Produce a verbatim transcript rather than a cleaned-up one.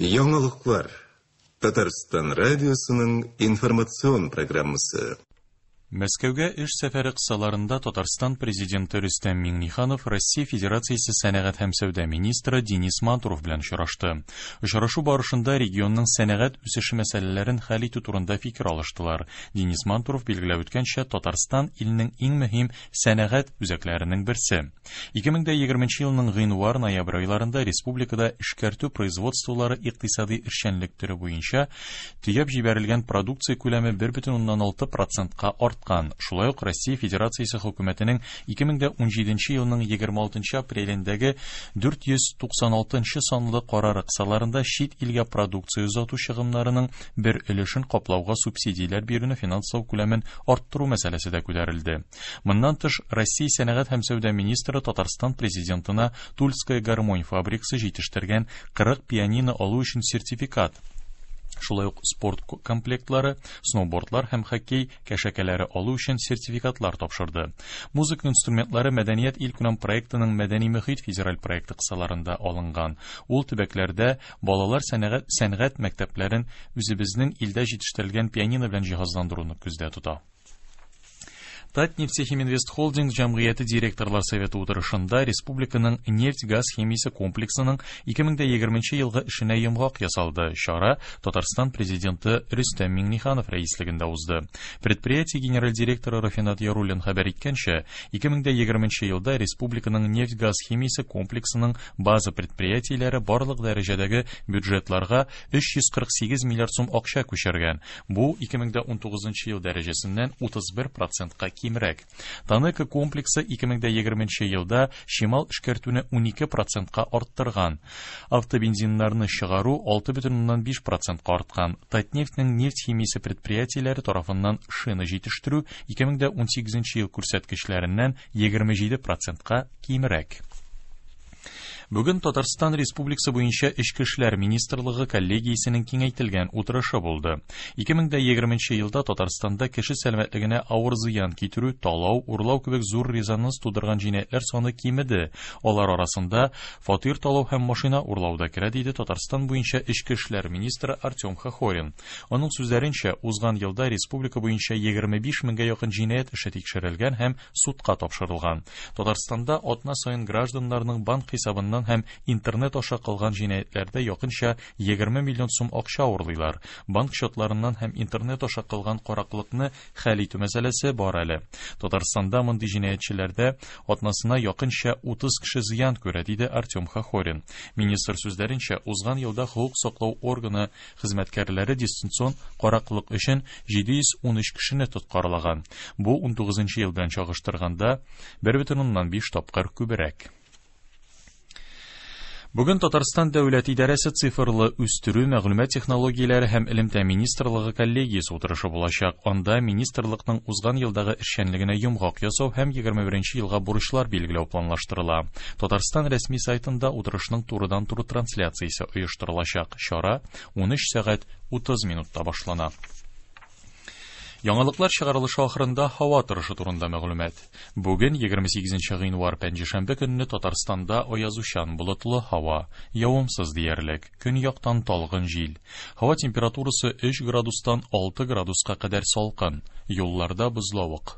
Яңалыклар. Татарстан радиосының информацион программасы. Мәскәүгә эш сәфәре кысаларында Татарстан президенты Рөстәм Миңнеханов Россия Федерациясе сәнәгать һәм сәүдә министры Денис Мантуров белән очрашты. Очрашу барышында регионның сәнәгать үсеше мәсьәләләрен хәл итү турында фикер алыштылар. Денис Мантуров билгеләп үткәнчә, Татарстан илнең иң мөһим сәнәгать үзәкләренең берсе. ике мең егерменче елның гыйнвар-ноябрь айларында республикада эшкәртү производстволары икътисади эшчәнлек төре буенча төяп җибәрелгән продукция күләме бер бөтен уннан алты процентка артты. Шулай ук Россия Федерациясе хөкүмәтенең ике мең унҗиденче елның егерме алтынчы апрелендәге дүрт йөз туксан алтынчы санлы карары кысаларында чит илгә продукция озату чыгымнарының бер өлешен каплауга субсидияләр бирүне финанслау күләмен арттыру мәсьәләсе дә күтәрелде. Моннан тыш, Россия сәнәгать һәм сәүдә министры Татарстан президентына Тульская гармонь фабрикасы җитештергән кырык пианино алу өчен сертификат, шулай ук спорт комплектлары, сноубордлар һәм хоккей кәшәкәләре алу өчен сертификатлар тапшырды. Музыка инструментлары Мәдәният илкүләм проектының Мәдәни мөхит федераль проекты кысаларында алынган. Ул төбәкләрдә балалар сәнәгать, сәнгать мәктәпләрен үзебезнең илдә җитештерелгән пианино белән җиһазландыруны күздә тота. Татнефтехиминвест Холдинг җәмгыяте директорлар советы утырышында республиканың нефть-газ химиясе комплексының ике мең егерменче елгы эшенә йомгак ясалды. Чара Татарстан президенты Рөстәм Миңнеханов рәислегендә узды. Предприятие генераль директоры Рафинат Яруллин хәбәр иткәнчә, ике мең егерменче елда республиканың нефть-газ химиясе комплексының база предприятиеләре барлык дәрәҗәдәге бюджетларга өч йөз кырык сигез миллиард сум акча күчергән. Бу ике мең унтугызынчы ел дәрәҗәсеннән утыз бер процентка кимрәк. Танека комплексы ике мең егерменче елда чимал эшкәртүне унике процентка арттырган. Автобензиннарны чыгару алты бөтен уннан биш процентка арткан. Татнефтьнең нефть химиясе предприятиеләре тарафыннан шина җитештерү ике мең унсигезенче ел күрсәткечләреннән егерме җиде процентка кимрәк. Бүген Татарстан Республикасы буенча Эчке эшләр министрлыгы коллегиясенең киңәйтелгән утырышы булды. ике мең егерменче елда Татарстанда кеше сәламәтлегенә авыр зыян китерү, талау, урлау кебек зур резонанс тудырган җинаятьләр саны кимеде. Алар арасында фатир талау һәм машина урлау да керә, диде Татарстан буенча Эчке эшләр министры Артем Хохорин. Аның сүзләренчә, узган елда республика буенча егерме биш меңгә якын җинаять эше тикшерелгән һәм судка тапшырылган. Татарстанда атна саен гражданнарның банк хисабыннан һәм интернет аша кылган җинаятьләрдә якынча егерме миллион сум акча урлыйлар. Банк счетларыннан һәм интернет аша кылган караклыкны хәл итү мәсьәләсе бар әле. Татарстанда мондый җинаятьчеләрдә атнасына якынча утыз кеше зыян күрә, диде Артем Хохорин. Министр сүзләренчә, узган елда хокук саклау органы хезмәткәрләре дистанцион караклык өчен җиде йөз унөч кешене тоткарлаган. Бу унтугызынчы ел белән чагыштырганда бер бөтен уннан биш тапкыр күбрәк. Бүген Татарстан Дәүләт идарәсе цифрлы үстерү, мәгълүмат технологияләре һәм элемтә министрлыгы коллегиясе утырышы булачак. Анда министрлыкның узган елдагы эшчәнлегенә йомгак ясау һәм егерме беренче елга бурычлар билгеләү планлаштырыла. Татарстан рәсми сайтында утырышның турыдан-туры трансляциясе оештырылачак. Чара унөч сәгать утыз минутта башлана. Яңалыклар чыгарылышы ахырында һава торышы турында мәгълүмат. Бүген егерме сигезенче гыйнвар пәнҗешәмбе көнне Татарстанда аязучан болытлы һава, явымсыз диярлек, көньяктан талгын җил. Һава температурасы өч градустан алты градуска кадәр салкын, юлларда бозлавык.